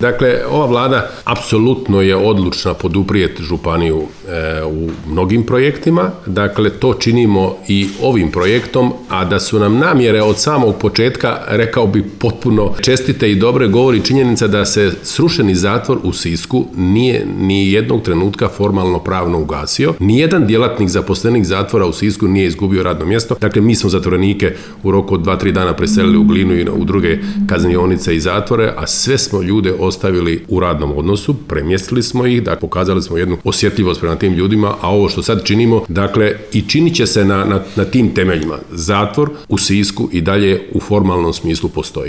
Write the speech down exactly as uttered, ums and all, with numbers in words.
Dakle, ova vlada apsolutno je odlučna poduprijeti županiju e, u mnogim projektima. Dakle, to činimo i ovim projektom, a da su nam namjere od samog početka, rekao bi, potpuno čestite i dobre, govori činjenica da se srušeni zatvor u Sisku nije ni jednog trenutka formalno pravno ugasio. Nijedan djelatnik zaposlenik zatvora u Sisku nije izgubio radno mjesto. Dakle, mi smo zatvorenike u roku od dva tri dana preselili u Glinu i u druge kaznionice i zatvore, a sve smo ljude ostavili u radnom odnosu, premjestili smo ih, dakle, pokazali smo jednu osjetljivost prema tim ljudima, a ovo što sad činimo, dakle, i činit će se na, na, na tim temeljima. Zatvor u Sisku i dalje u formalnom smislu postoji.